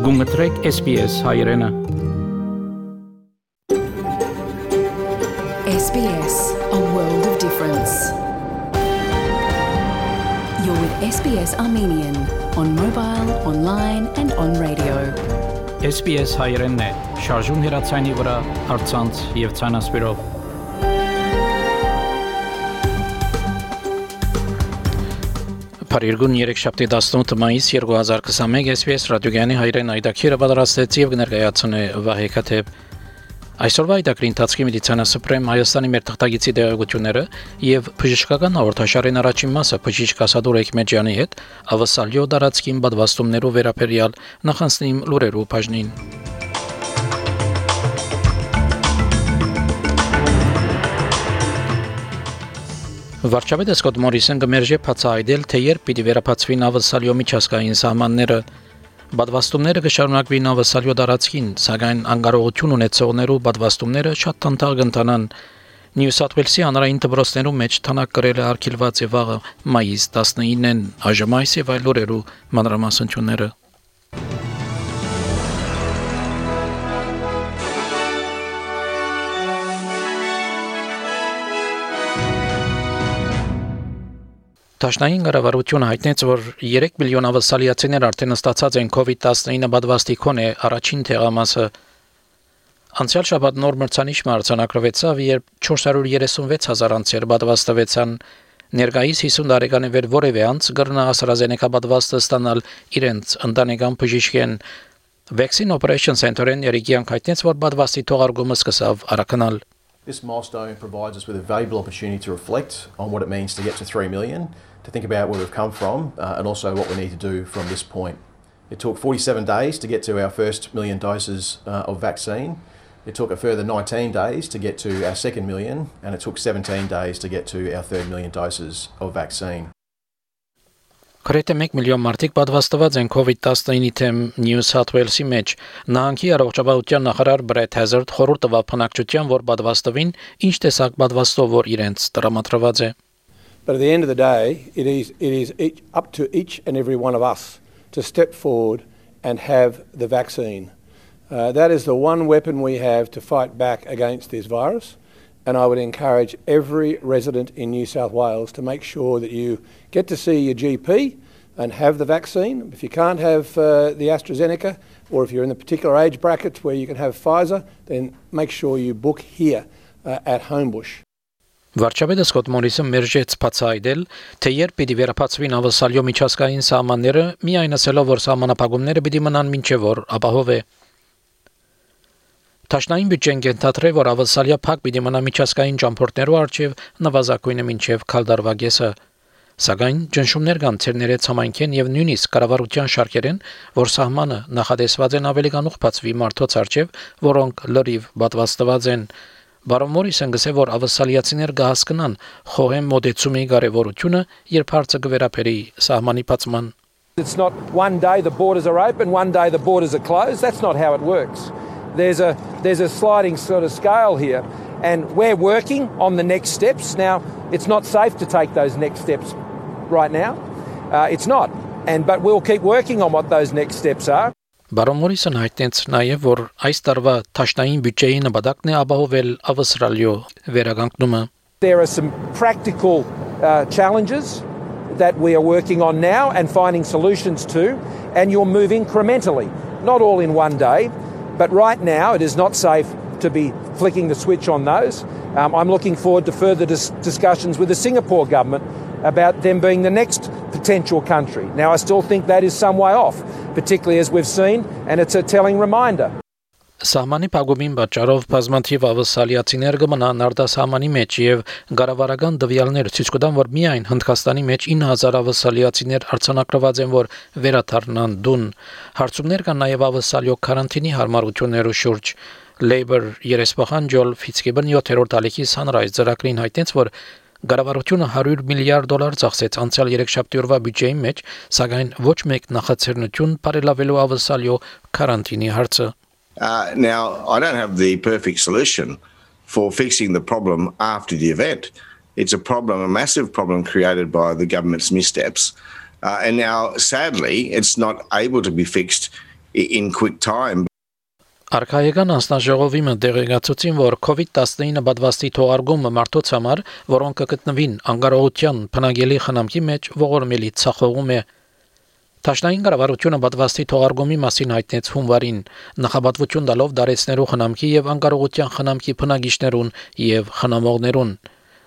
Գումտրեք SBS հայրենը SBS, a world of difference. You're with SBS Armenian on mobile, online and on radio. SBS հայրենն է, շարժուն հեռացանի վրա, առցանց եւ ցանասպիրով։ Փարիգուն 3-7 մայիս 2021 SBS ռադիոգյանի հայրեն այդակիրը պատրաստեց եւ ներկայացնում է Վահե Քաթեփ։ Այսօրվա այդակրի ընթացքի մեդիցինասպրեմ Հայաստանի մեր թղթագիտի դերակցությունները եւ բժշկական հաղորդաշարին առաջին մասը բժիշկ Ասադուր Էքմեջյանի հետ ավասալյո դարածքին պատվաստումներով վերաբերյալ նախանցնիմ լուրերու բաժնին։ Վարչապետ Սկոտ Մորիսոն գմերժե բացահայտել, թե երբ պիտի վերապացվին ավասալյո միջազգային սահմանները։ Պատվաստումները կշարունակվին ավասալյո դարածքին, սակայն անկարողություն ունեցողներու պատվաստումները շատ տանտաղ կընթանան։ Նյու Սաութ Ուելսի հանրային դպրոցներու մեջ թանակ կրել է արգելված է վաղը մայիս 19-ին, այժմ այս եւ այլ օրերու մանրամասնությունները։ Տաշնային կառավարությունը հայտնեց, որ 3 միլիոն ավասալիացիներ արդեն ստացած են COVID-19 պատվաստի քոնե առաջին թեղամասը։ Անցյալ շաբաթ նոր մրցանիշ արձանագրվեցավ, երբ 436,000 անձեր պատվաստվեցան։ Ներկայիս 50 տարեկանի վեր որևէ անձ կրնա AstraZeneca պատվաստը ստանալ իրենց ընտանեկան բժիշկեն։ Vaccine Operation Center-ն երիկյան հայտնեց, որ պատվաստի թողարկումը սկսավ արագանալ։ This milestone provides us with a valuable opportunity to reflect on what it means to get to 3 million, to think about where we've come from, and also what we need to do from this point. It took 47 days to get to our first million doses of vaccine. It took a further 19 days to get to our second million, and it took 17 days to get to our third million doses of vaccine. Գրեթե 1 միլիոն մարդիկ պատվաստված են COVID-19-ի թեմ Նյու Սաութ Ուելսի մեջ։ Նահանգի առողջապահության նախարար Բրեթ Հեզարդ խորհուրդ տվավ բնակչության, որ պատվաստվին, ինչ տեսակ պատվաստով որ իրենց տրամադրված է։ But at the end of the day, it is up to each and every one of us to step forward and have the vaccine. That is the one weapon we have to fight back against this virus. And I would encourage every resident in New South Wales to make sure that you get to see your GP and have the vaccine. If you can't have the AstraZeneca, or if you're in the particular age bracket where you can have Pfizer, then make sure you book here at Homebush. Վարչապետը Սկոտ Մորիսոն մերժեց բացահայտել, թե երբ պիտի վերապացվին ավասալյո միջազգային սահմանները, միայն ասելով, որ սահմանափակումները պիտի մնան մինչև որ ապահով է։ Տաշնային բյուջեն կենթադրե, որ ավասալյա փակ պիտի մնա միջազգային ճամփորդներու առջև նվազագույնը մինչև քալդարվա կեսը։ Սակայն ճնշումներ կան ցերներեց համայնքեն եւ նույնիսկ կառավարության շարքերեն, որ սահմանը նախադեсված են ավելի կանուխ բացվի մարդոց առջև, որոնք լրիվ պատվաստված են։ Բարոն Մորիսոն գսե, որ ավասալիացիներ կհասկանան խոհեմ մոդեցումի կարևորությունը, երբ հարցը կվերապերի սահմանի բացման։ It's not one day the borders are open, one day the borders are closed. That's not how it works. There's a sliding sort of scale here, and we're working on the next steps. Now, it's not safe to take those next steps right now. It's not, but we'll keep working on what those next steps are. Բարոն Մորիսոն հայտնեց նաև, որ այս տարվա տաշնային բյուջեի նպատակն է ապահովել ավասալյո վերականգնումը։ There are some practical challenges that we are working on now and finding solutions to, and you'll move incrementally, not all in one day. But right now, it is not safe to be flicking the switch on those. I'm looking forward to further discussions with the Singapore government about them being the next potential country. Now, I still think that is some way off, particularly as we've seen, and it's a telling reminder. Սահմանի փակումին պատճառով բազմաթիվ ավասալիացիներ կմնան արտասահմանի մեջ եւ գարավարական դվյալներ ցույց կտան, որ միայն Հնդկաստանի մեջ 9000 ավասալիացիներ արձանագրված են, որ վերաթարնան դուն։ Հարցումներ կան նաև ավասալյո կարանտինի հարմարություններու շուրջ։ Labour երեսփոխան Ջոլ Ֆիցգիբն 7-րդ ալիքի Sunrise ծրագրին հայտնեց, որ Գարավարությունը $100 միլիարդ ծախսեց անցյալ 3 օրվա բյուջեի մեջ, սակայն ոչ մեկ նախաձեռնություն բարելավելու ավասալյո կարանտինի հարցը։ Now, I don't have the perfect solution for fixing the problem after the event. It's a massive problem created by the government's missteps. And now, sadly, it's not able to be fixed in quick time. Արքայական անձնաժողովի մտեղեկացուցին, որ COVID-19 պատվաստի թողարկումը մարդոց համար, որոնք կգտնվին անկարողության բնագելի խնամքի մեջ, ողորմելի ցախողում է։ Տաշնային կառավարությունը պատվաստի թողարկումի մասին հայտնեց հունվարին, նախապատվություն տալով դարեցնելու խնամքի եւ անկարողության խնամքի բնագիչներուն եւ խնամողներուն։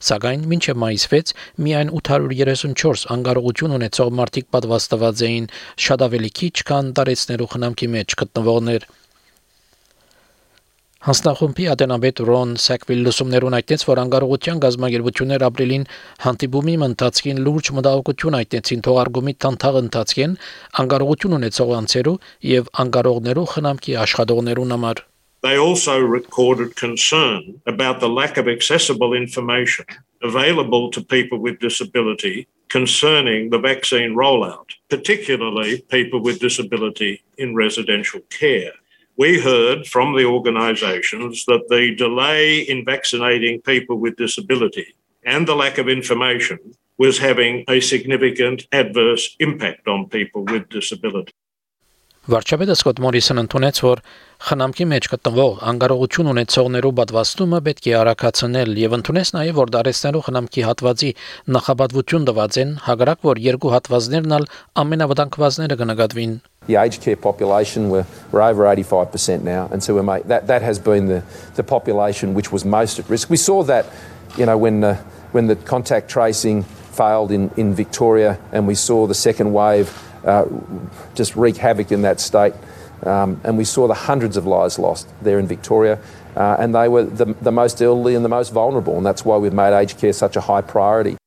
Սակայն մինչև մայիս 6 միայն 834 անկարողություն ունեցող մարդիկ պատվաստված էին, շատ ավելի քիչ, քան դարեցնելու խնամքի մեջ գտնվողներ։ Հանձնախումբի ատենաբեդ Ռոն Սակվիլ լուսումներուն այդտենց, որ անկարողության գազագերբություններ ապրիլին հանդիպումի ընթացքին լուրջ մտահոգություն այդտեցին թողարկումի տանթաղ ընթացքին անկարողություն ունեցող անձերու եւ անկարողներու խնամքի աշխատողներուն համար։ They also recorded concern about the lack of accessible information available to people with disability concerning the vaccine rollout, particularly people with disability in residential care. We heard from the organisations that the delay in vaccinating people with disability and the lack of information was having a significant adverse impact on people with disability. Վարչապետը Սկոտ Մորիսոնը ընդունեց, որ խնամքի մեջ գտնվող անկարողություն ունեցողներու պատվաստումը պետք է արագացնել եւ ընդունեց նաեւ, որ դարեցնելու խնամքի հատվածի նախապատվություն տված են, հակառակ որ երկու հատվածներն ալ ամենավտանգվածները կնկատվին։ The aged care population we're over 85% now, and so that has been the population which was most at risk. We saw that, when the contact tracing failed in Victoria, and we saw the second wave just wreak havoc in that state, and we saw the hundreds of lives lost there in Victoria, and they were the most elderly and the most vulnerable, and that's why we've made aged care such a high priority.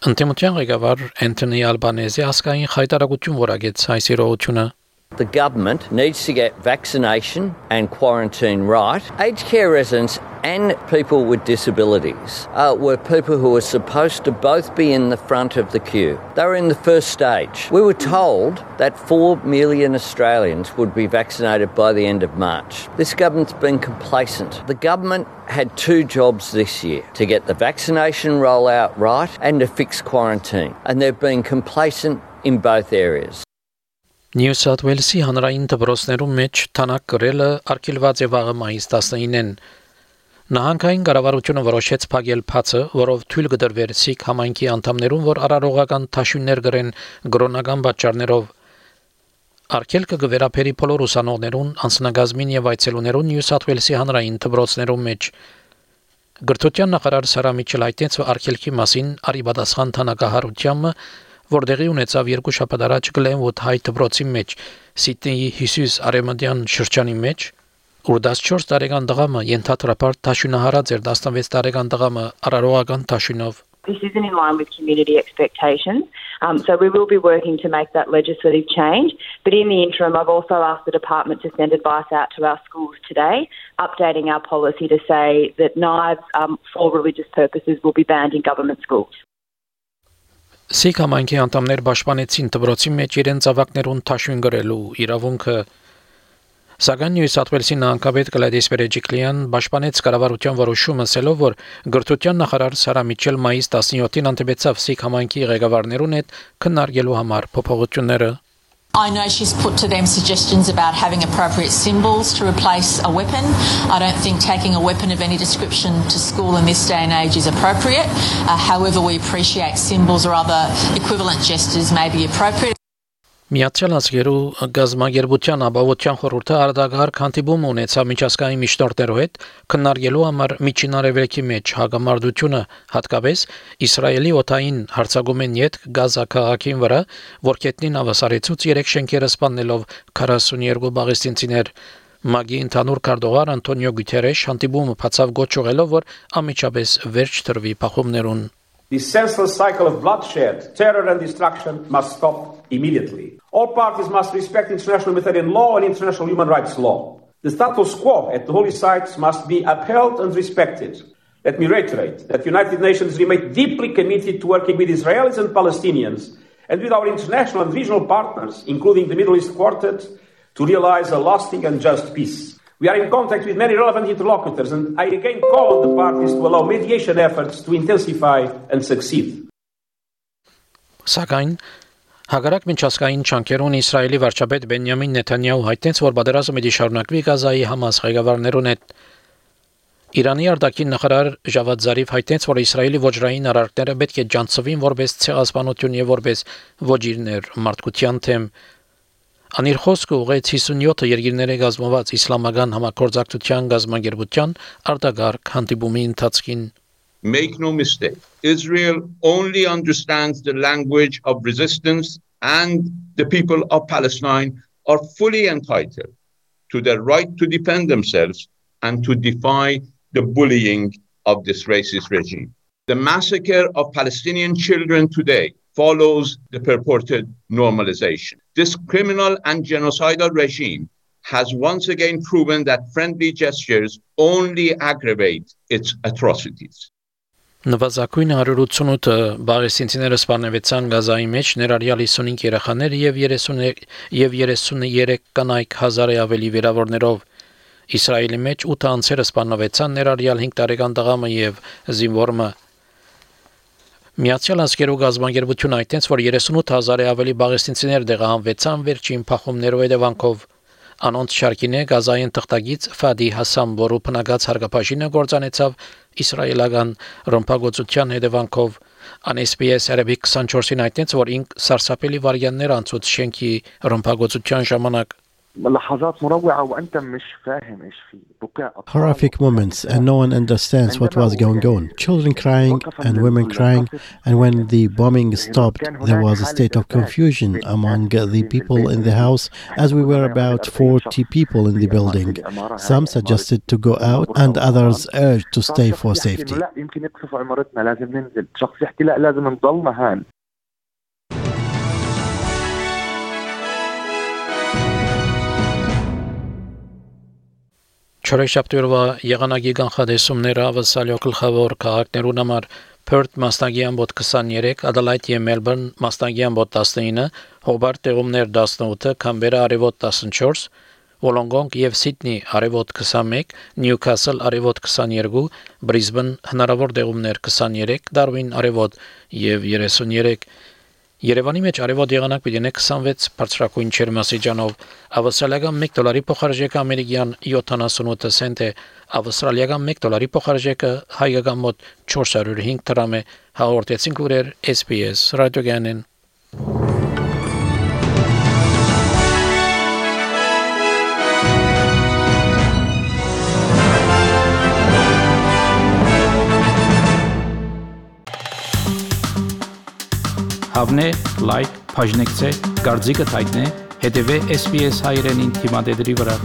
Ընտեմության ղեկավար Անթոնի Ալբանեզի ասկային խայտարակություն որագեց այս իրողությունը։ The government needs to get vaccination and quarantine right. Aged care residents and people with disabilities were people who were supposed to both be in the front of the queue. They were in the first stage. We were told that 4 million Australians would be vaccinated by the end of March. This government's been complacent. The government had 2 jobs this year, to get the vaccination rollout right and to fix quarantine. And they've been complacent in both areas. Նյու Սաութ Ուելսի հանրային դպրոցներում մեջ թանակ կրելը արգելված է վաղը մայիս 19-ին։ Նահանգային կառավարությունը որոշեց փակել փացը, որով թույլ կդրվեր սիկ համայնքի անդամներուն, որ արարողական թաշույններ գրեն գրոնական պատճառներով։ Արգելքը կվերապերի բոլոր ուսանողներուն, անձնագազմին եւ այցելուներուն Նյու Սաութ Ուելսի հանրային դպրոցներում մեջ։ Գրթության նախարար Սարա Միչել հայտնեց արգելքի մասին արիբադասխան թանկահարությամբ, որտեղի ունեցավ 2 շաբաթ առաջ Գլենվուդ հայ դպրոցի մեջ, Սիդնեի Հիսուս Արեմադյան շրջանի մեջ, ուր 14 տարեկան տղամը ենթադրաբար թաշյունահարած էր 16 տարեկան տղամը արարողական թաշյունով։ This isn't in line with community expectations, so we will be working to make that legislative change. But in the interim, I've also asked the department to send advice out to our schools today, updating our policy to say that knives for religious purposes will be banned in government schools. Սիկ համայնքի անդամներ պաշտպանեցին դպրոցի մեջ իրենց ավակներուն թաշույն գրելու իրավունքը։ Սակայն Նյու Սաութ Ուելսի նահանգապետ Գլադիս Բերեջիկլյան պաշտպանեց կառավարության որոշումը ասելով, որ գրթության նախարար Սարա Միչել մայիս 17-ին հանդիպեցավ Սիկ համայնքի ղեկավարներուն հետ քննարկելու համար փոփոխությունները։ I know she's put to them suggestions about having appropriate symbols to replace a weapon. I don't think taking a weapon of any description to school in this day and age is appropriate. However, we appreciate symbols or other equivalent gestures may be appropriate. Միացյալ Ազգերու գազագերբության ապահովության խորհուրդը արդագահար հանդիպում ունեցավ միջազգային միջնորդներով հետ քննարկելու համար Միջին Արևելքի մեջ հագամարտությունը, հատկապես Իսրայելի օդային հարձակումեն յետ Գազա քաղաքին վրա, որ կետնին ավասարեցուց 3 շենքերը սպանելով 42 պաղեստինցիներ։ Մագի ընդհանուր քարտուղար Անտոնիո Գուտերեշ հանդիպումը բացավ գոչ ուղղելով, որ անմիջապես վերջ տրվի փախումներուն։ This senseless cycle of bloodshed, terror and destruction must stop immediately. All parties must respect international humanitarian law and international human rights law. The status quo at the holy sites must be upheld and respected. Let me reiterate that the United Nations remain deeply committed to working with Israelis and Palestinians and with our international and regional partners, including the Middle East Quartet, to realize a lasting and just peace. We are in contact with many relevant interlocutors, and I again call on the parties to allow mediation efforts to intensify and succeed. Սակայն Հակառակ միջազգային չանքերուն Իսրայելի վարչապետ Բենյամին Նեթանյահու հայտնեց, որ պատերազմը պիտի շարունակվի Գազայի Համաս ղեկավարներուն հետ։ Իրանի արտաքին նախարար Ժավադ Զարիֆ հայտնեց, որ Իսրայելի ոչռային արարքները պետք է ջանցվին որպես ցեղասպանություն եւ որպես ոչիրներ մարդկության թեմ։ Անիր խոսքը ուղեց 57 երկիրների գազմված իսլամական համագործակցության գազագերբության արտագարկ հանդիպումի ընթացքին։ Make no mistake, Israel only understands the language of resistance, and the people of Palestine are fully entitled to their right to defend themselves and to defy the bullying of this racist regime. The massacre of Palestinian children today follows the purported normalization. This criminal and genocidal regime has once again proven that friendly gestures only aggravate its atrocities. Նվազագույնը 188 բաղեսինցիները սպանվեցան Գազայի մեջ, ներառյալ 55 երեխաներ եւ 33 կանայք, 1000-ի ավելի վիրավորներով։ Իսրայելի մեջ 8 անձերը սպանվեցան, ներառյալ 5 տարեկան տղամը եւ զինվորը։ Միացյալ Աշխարհի գազագերբությունը հայտնեց, որ 38000-ի ավելի բաղեսինցիներ տեղահանվեցան վերջին փախումներով հետևանքով։ Անոնց շարքին է Գազային թղթակից Ֆադի Հասան, որը բնակած հարգապաշինը գործանեցավ իսրայելական ռմբակոծության հետևանքով։ SBS Arabic 24-ին հայտնեց, որ ինք սարսափելի վարյաններ անցուց շենքի ռմբակոծության ժամանակ։ Horrific moments, and no one understands what was going on. Children crying and women crying, and when the bombing stopped, there was a state of confusion among the people in the house, as we were about 40 people in the building. Some suggested to go out, and others urged to stay for safety. Չորեքշաբթի եղանակի կանխատեսումները ավսալյո գլխավոր քաղաքներուն համար Perth մասնագի ամբոտ 23, Adelaide եւ Melbourne մասնագի ամբոտ 19, Hobart տեղումներ 18, Canberra արևոտ 14, Wollongong եւ Sydney արևոտ 21, Newcastle արևոտ 22, Brisbane հնարավոր տեղումներ 23, Darwin արևոտ եւ 33 Երևանի մեջ արևոտ եղանակ պիտի 26 բարձրակույն ջերմաստիճանով, ավստրալիական $1 փոխարժեքը ամերիկյան 78 سنت է, ավստրալիական $1 փոխարժեքը հայկական մոտ 405 դրամ է, հաղորդեցին լուրեր SBS ռադիոգանեն։ Հավնե, լայք, բաժնեկցե, դարձիկը թայտնե, հետևե SBS հայրենին թիմադեդրի վրա։